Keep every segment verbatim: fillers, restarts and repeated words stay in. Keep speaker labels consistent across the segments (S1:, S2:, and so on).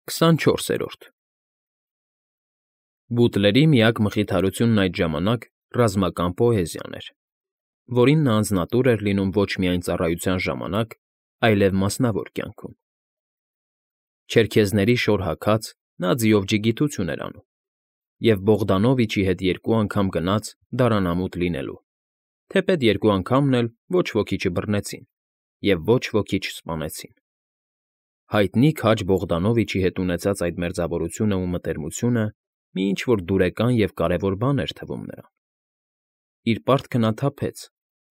S1: քսանչորսերորդ Բուտլերի միակ մխիթարությունն այդ ժամանակ ռազմական պոեզիան էր, որին նա անձնատուր էր լինում ոչ միայն ծառայության ժամանակ, այլև մասնավոր կյանքում. չերքեզների շոր հագած՝ նա ձիովջի գիտություն էր անում և Բողդանովիչի հետ երկու անգամ գնաց դարանամուտ լինելու, թեպետ երկու անգամն էլ ոչ ոքի չբռնեցին և ոչ ոքի չսպանեցին. հայտնի քաջ Բողդանովիչի հետ ունեցած այդ մերձավորությունն ու մտերմությունը մի ինչ֊որ դուրեկան և կարևոր բան էր թվում նրան. իր պարտքը նա թափեց,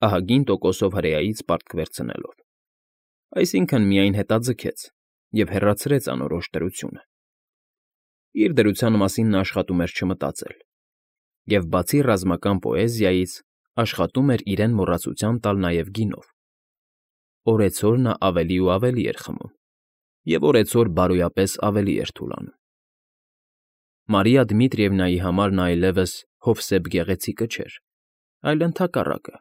S1: ահագին տոկոսով հրեայից պարտք վերցնելով, այսինքն՝ միայն հետաձգեց և հեռացրեց անորոշ դրությունը. իր դրության մասին նա աշխատում էր չմտածել և, բացի ռազմական պոեզիայից, աշխատում էր իրեն մոռացության տալ նաև գինով. օրեցօր նա ավելի ու ավելի էր խմում և օրեցօր բարոյապես ավելի էր թուլանում. Մարիա Դմիտրիևնայի համար նա այլևս «Հովսեփ Գեղեցիկը» չէր, այլ ընդհակառակը.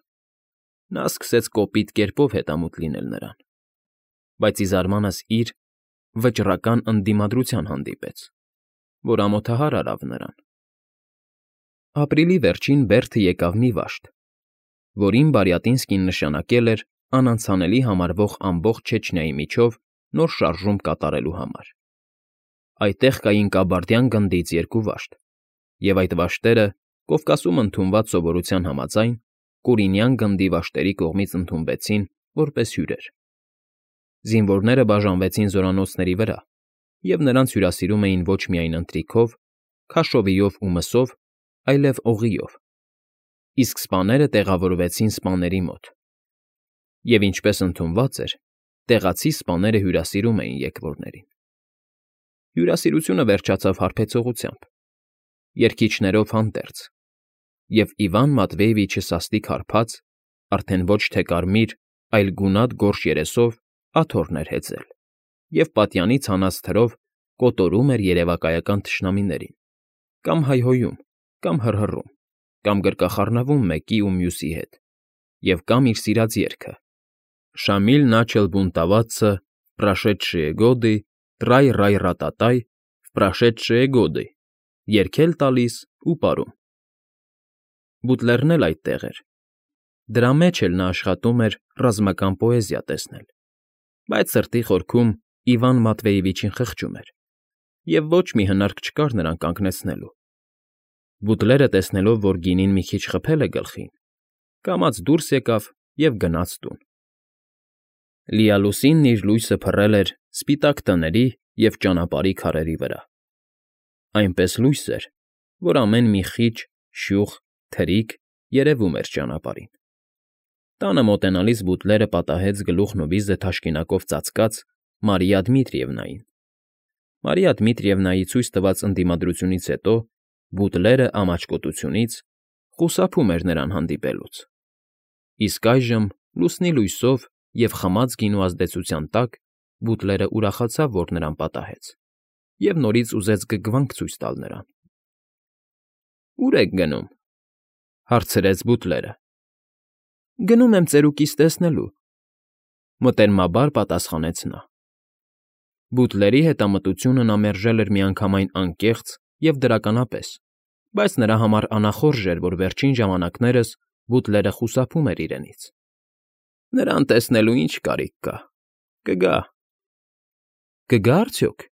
S1: նա սկսեց կոպիտ կերպով հետամուտ լինել նրան, բայց ի զարմանս իր, վճռական ընդդիմադրության հանդիպեց, որ ամոթահար արավ նրան. Ապրիլի վերջին Բերդը եկավ մի վաշտ, որին Բարյատինսկին նշանակել էր անանցանելի համարվող ամբողջ Չեչնիայի միջով նոր շարժում կատարելու համար. այդտեղ կային Կաբարդյան գնդից երկու վաշտ, և այդ վաշտերը, Կովկասում ընդունված սովորության համաձայն, Կուրինյան գնդի վաշտերի կողմից ընդունվեցին որպես հյուրեր. զինվորները բաժանվեցին զորանոցների վրա և նրանց հյուրասիրում էին ոչ միայն ընթրիքով, քաշովիով ու մսով, այլև օղիով, իսկ սպաները տեղավորվեցին սպաների մոտ. և, ինչպես ընդունված էր, տեղացի սպաները հյուրասիրում էին եկվորներին. հյուրասիրությունը վերջացավ հարբեցողությամբ, երգիչներով հանդերձ, և Իվան Մատվեևիչը սաստիկ հարբած, արդեն ոչ թե կարմիր, այլ գունատ գորշ երեսով աթոռն էր հեծել և պատյանից հանած թրով կոտորում էր երևակայական թշնամիներին, կամ հայհոյում, կամ հռհռում, կամ գրկախառնվում մեկի ու մյուսի հետ, և կամ իր սիրած երգը «Շամիլ начал бунтоваться в прошедшие годы, трай-рай-ра-та-тай, в прошедшие годы» երգել տալիս ու պարում. Բուտլերն էլ այդտեղ էր. դրա մեջ էլ նա աշխատում էր ռազմական պոեզիա տեսնել, բայց սրտի խորքում Իվան Մատվեևիչին խղճում էր և ոչ մի հնարք չկար նրան կանգնեցնելու. Բուտլերը, տեսնելով, որ գինին մի քիչ խփել է գլխին, կամաց դուրս եկավ և գնաց տուն. լիալուսինն իր լույսը փռել էր սպիտակ տների և ճանապարհի քարերի վրա, այնպես լույս էր, որ ամեն մի խիճ, շյուխ, թրիկ երևում էր ճանապարհին. տանը մոտենալիս բուտլերը պատահեց գլուխն ու վիզը թաշկինակով ծածկած Մարիա Դմիտրիևնային. Մարիա Դմիտրիևնայի ցույց տված ընդդիմադրությունից հետո բուտլերը ամաչկոտությունից խուսափում էր նրան հանդիպելուց, իսկ այժմ, լուսնի լույսով և խմած գինու ազդեցության տակ, բուտլերը ուրախացավ, որ նրան պատահեց, և նորից ուզեց գգվանք ցույց տալ նրան. ֊ Ո՞ւր եք գնում, ֊ հարցրեց բուտլերը։ ֊ Գնում եմ ծերուկիս տեսնելու, ֊ մտերմաբար պատասխանեց նա. Բուտլերի հետամտությունը նա մերժել էր միանգամայն անկեղծ և դրականապես, բայց նրա համար անախորժ էր, որ վերջին ժամանակներս բուտլերը խուսափում էր իրենից. նրան տեսնելու ինչ կարիք կա, կգա։ ֊ Կգա՞ արդյոք։ ֊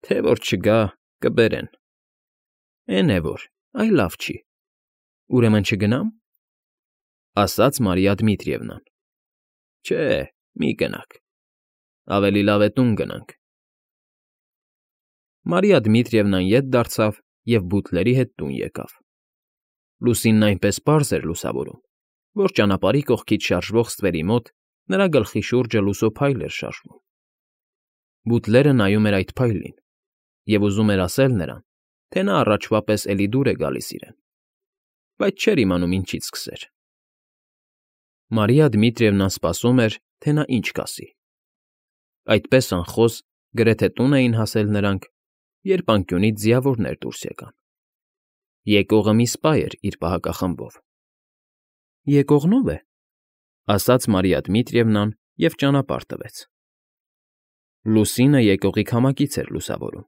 S1: Թե որ չգա, կբերեն։ ֊ Էն է որ, այ լավ չի, ուրեմն չգնա՞մ, ֊ ասաց Մարիա Դմիտրիևնան։ ֊ Չէ, մի գնաք, ավելի լավ է տուն գնանք։ Մարիա Դմիտրիևնան ետ դարձավ և բուտլերի հետ տուն եկավ. լուսինն այնպես պարզ էր լուսավորում, որ ճանապարհի կողքից շարժվող ստվերի մոտ նրա գլխի շուրջը լուսո փայլ էր շարժվում. Բուտլերը նայում էր այդ փայլին և ուզում էր ասել նրան, թե նա առաջվա պես էլի դուր է գալիս իրեն, բայց չէր իմանում ինչից սկսեր. Մարիա Դմիտրիևնան սպասում էր, թե նա ինչ կասի. այդպես անխոս գրեթե տուն էին հասել նրանք, երբ անկյունից ձիավորներ դուրս եկան. եկողը մի սպա էր իր պահակախմբով։ ֊ Եկողն ո՞վ է, ֊ ասաց Մարիա Դմիտրիևնան և ճանապարհ տվեց։ Լուսինը եկողի քամակից էր լուսավորում,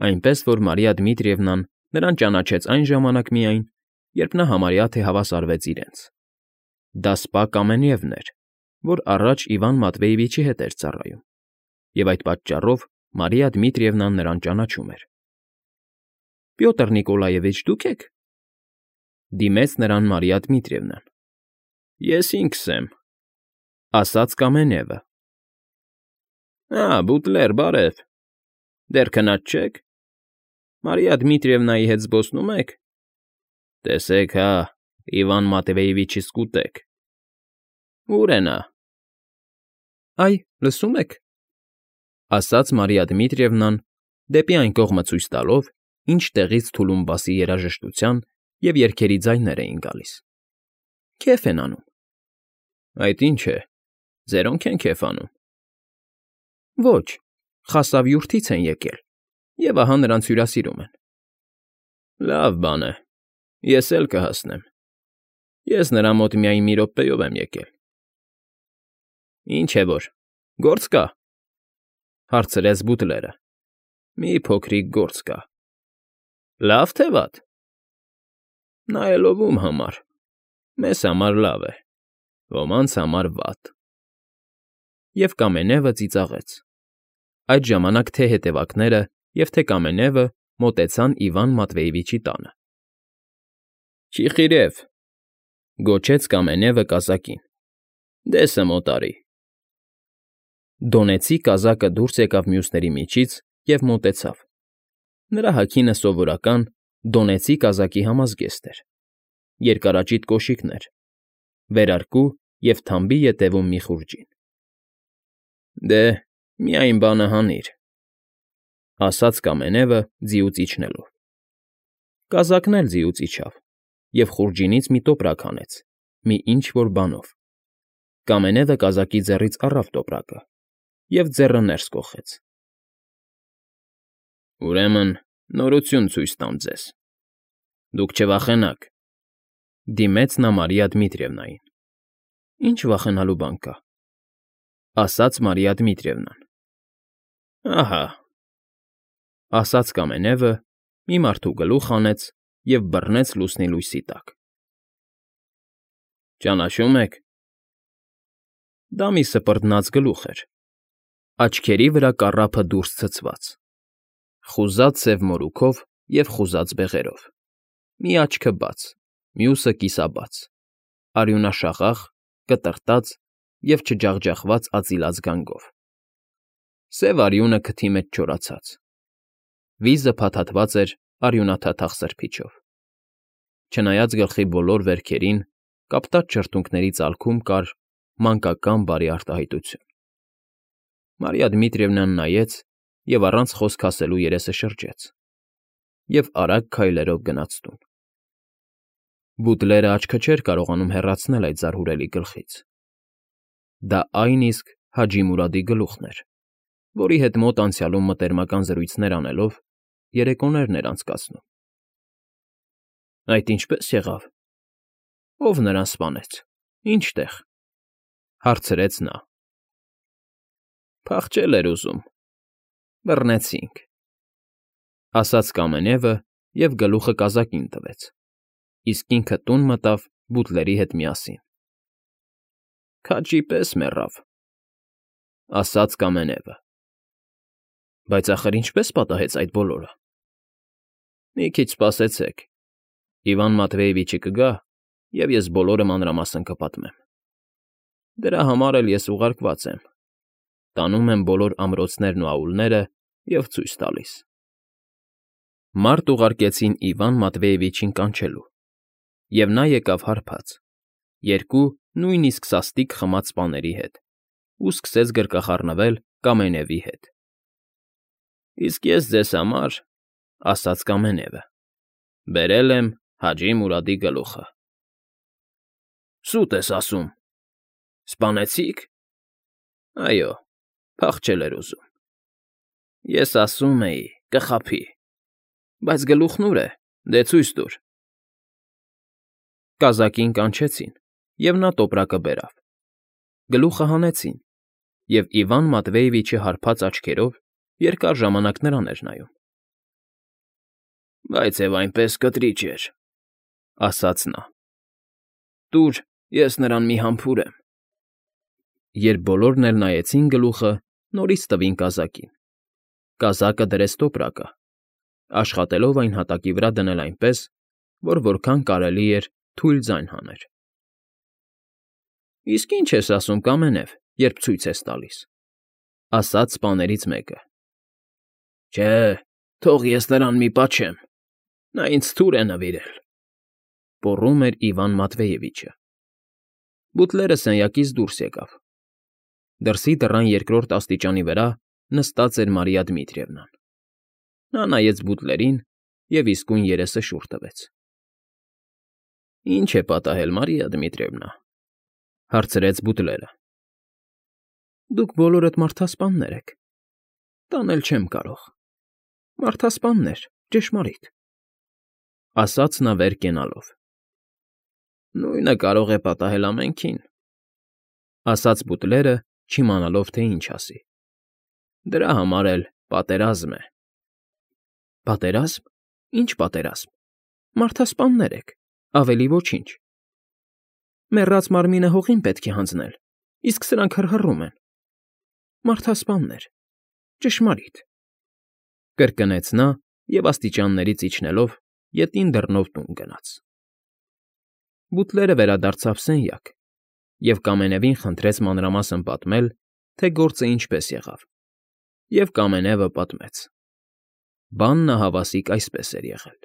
S1: այնպես որ Մարիա Դմիտրիևնան նրան ճանաչեց այն ժամանակ միայն, երբ նա համարյա թե հավասարվեց իրենց. դա սպա Կամենևն էր, որ առաջ Իվան Մատվեևիչի հետ էր ծառայում, և այդ պատճառով Մարիա Դմիտրիևնան նրան ճանաչում էր։ ֊ Պյոտր Նիկոլաևիչ, դուք ե՞ք,֊ դիմեց նրան Մարիա Դմիտրիևնան։ ֊ Ես ինքս եմ,֊ ասաց Կամենևը։ ֊ Ա՜, բուտլեր, բարև, դեռ քնած չե՞ք, Մարիա Դմիտրիևնայի հետ զբոսնո՞ւմ եք։ Տեսեք հա, Իվան Մատվեևիչի սկուտեք։ Ո՞ւր է նա։ ֊ Այ, լսում եք,֊ ասաց Մարիա Դմիտրիևնան, դեպի այն կողմը ցույց տալով, ինչ տեղից Թուլումբասի երաժշտության և երգերի ձայներ էին գալիս։ ֊ Քեֆ են անում։ ֊ Այդ ինչ է, ձերոնք են քեֆ անում։ ֊ Ոչ, խասավյուրթից են եկել, և ահա նրանց հյուրասիրում են։ ֊ Լավ բան է, ես էլ կհասնեմ, ես նրա մոտ միայն մի րոպեով եմ եկել։ ֊ Ինչ է որ, գործ կա,֊ հարցրեց բուտլերը։ ֊ Մի փոքրիկ գործ կա։ ֊ Լավ թե վատ։ ֊ Նայելով ում համար, մեզ համար լավ է, ոմանց համար վատ։ Եվ Կամենևը ծիծաղեց։ Այդ ժամանակ թե՛ հետևակները և թե Կամենևը մոտեցան Իվան Մատվեևիչի տանը։ ֊ Չիխիրև,֊ գոչեց Կամենևը կազակին,֊ դեսը մոտարի։ Դոնեցի կազակը դուրս եկավ մյուսների միջից և մոտեցավ։ Նրա հագինը սովորական դոնեցի կազակի համազգեստ էր, երկարաճիտ կոշիկներ, վերարկու և թամբի ետևում մի խուրջին։ ֊ Դե, միայն բանը հանիր,֊ ասաց Կամենևը ձիուց իջնելով։ Կազակն էլ ձիուց իջավ և խուրջինից մի տոպրակ հանեց, մի ինչ֊որ բանով։ Կամենևը կազակի ձեռից առավ տոպրակը և ձեռը ներս կոխեց։ ֊ Ուրեմն նորություն ցույց տամ ձեզ, դուք չվախենաք,֊ դիմեց նա Մարիա Դմիտրիևնային։ ֊ Ինչ վախենալու բան կա,֊ ասաց Մարիա Դմիտրիևնան։ ֊ Ահա,֊ ասաց Կամենևը, մի մարդու գլուխ հանեց և բռնեց լուսնի լույսի տակ։ ֊ Ճանաչո՞ւմ եք։ Դա մի սպրտնած գլուխ էր, աչքերի վրա կառափը դուրս ցցված, խուզած սև մորուքով և խուզած բեղերով, մի աչքը բաց, մյուսը կիսաբաց, արյունաշաղախ, կտրտած և չջախջախվածածիլած գանգով, սև արյունը քթի մեջ չորացած, վիզը փաթաթված էր արյունաթաթախ սրբիչով։ Չնայած գլխի բոլոր վերքերին կապտած շրթունքների ծալքում կար մանկական բարի արտահայտություն։ Մարիա Դմիտրիևնան նայեց և առանց խոսք ասելու երեսը շրջեց և արագ քայլերով գնաց տուն։ Բուտլերը աչքը չէր կարողանում հեռացնել այդ զարհուրելի գլխից։ Դա այն իսկ Հաջի Մուրադի գլուխն էր, որի հետ մոտ անցյալում մտերմական զրույցներ անելով երեկոներն էր անցկացնում։ ֊ Այդ ինչպե՞ս եղավ, ո՞վ նրան սպանեց, ինչ֊տեղ,֊ հարցրեց նա։ ֊ Փախչել էր ուզում, բռնեցինք,֊ ասաց Կամենևը և գլուխը կազակին տվեց, իսկ ինքը տուն մտավ բուտլերի հետ միասին։ ֊ Քաջի պես մեռավ,֊ ասաց Կամենևը։ ֊ Բայց ախր ինչպե՞ս պատահեց այդ բոլորը։ ֊ Մի քիչ սպասեցեք, Իվան Մատվեևիչը կգա, և ես բոլորը մանրամասն կպատմեմ։ Դրա համար էլ ես ուղարկված եմ, տանում եմ բոլոր ամրոցներն ու աուլները և ցույց տալիս։ Մարդ ուղարկեցին Իվան Մատվեևիչին կանչելու, և նա եկավ հարբած, երկու նույնիսկ սաստիկ խմած սպաների հետ ու սկսեց գրկախառնվել Կամենևի հետ։ ֊ Իսկ ես ձեզ համար,֊ ասաց Կամենևը,֊ բերել եմ Հաջի Մուրադի գլուխը։ ֊ Սուտ ես ասում, սպանեցի՞ք։ ֊ Այո, փախչել էր ուզում։ ֊ Ես ասում էի՝ կխաբի, բայց գլուխն ուր է, դե ցույց տուր։ Կազակին կանչեցին, և նա տոպրակը բերավ։ Գլուխը հանեցին, և Իվան Մատվեևիչը հարբած աչքերով երկար ժամանակ նրան էր նայում։ ֊ Բայց և այնպես կտրիճ էր,֊ ասաց նա։ ֊ Տուր, ես նրան մի համբուրեմ։ Երբ բոլորն էլ նայեցին գլուխը, նորից տվին կազակին։ Կազակը դրեց տոպրակը, աշխատելով այն հատակի վրա դնել այնպես, որ որքան կարելի էր թույլ ձայն հաներ։ ֊ Իսկ ի՞նչ ես ասում, Կամենև, երբ ցույց ես տալիս,֊ ասաց սպաներից մեկը։ ֊ Չէ, թող ես նրան մի պաչեմ, նա ինձ թուր է նվիրել,֊ պոռում էր Իվան Մատվեևիչը։ Բուտլերը սենյակից դուրս եկավ։ Դրսի դռան երկրորդ աստիճանի վրա նստած էր Մարիա Դմիտրիևնան։ Նա նայեց բուտլերին և իսկույն երեսը շուռ տվեց։ ֊ Ի՞նչ է պատահել, Մարիա Դմիտրիևնա,֊ հարցրեց բուտլերը։ ֊ Դուք բոլորդ մարդասպաններ եք, տանել չեմ կարող, մարդասպաններ, ճշմարիտ,֊ ասաց նա վեր կենալով։ ֊ Նույնը կարող է պատահել ամենքին,֊ ասաց բուտլերը, չիմանալով, թե ինչ ասի։ ֊ Դրա համար էլ պատերազմ է։ ֊ Պատերազմ, ի՞նչ պատերազմ, մարդասպաններ եք, ավելի ոչինչ։ Մեռած մարմինը հողին պետք է հանձնել, իսկ սրանք հռհռում են։ Մարդասպաններ, ճշմարիտ,֊ կրկնեց նա և աստիճաններից իջնելով ետին դռնով տուն գնաց։ Բուտլերը վերադարձավ սենյակ և Կամենևին խնդրեց մանրամասն պատմել, թե գործը ինչպես եղավ, և Կամենևը պատմեց։ Բանն ահավասիկ այսպես էր եղել։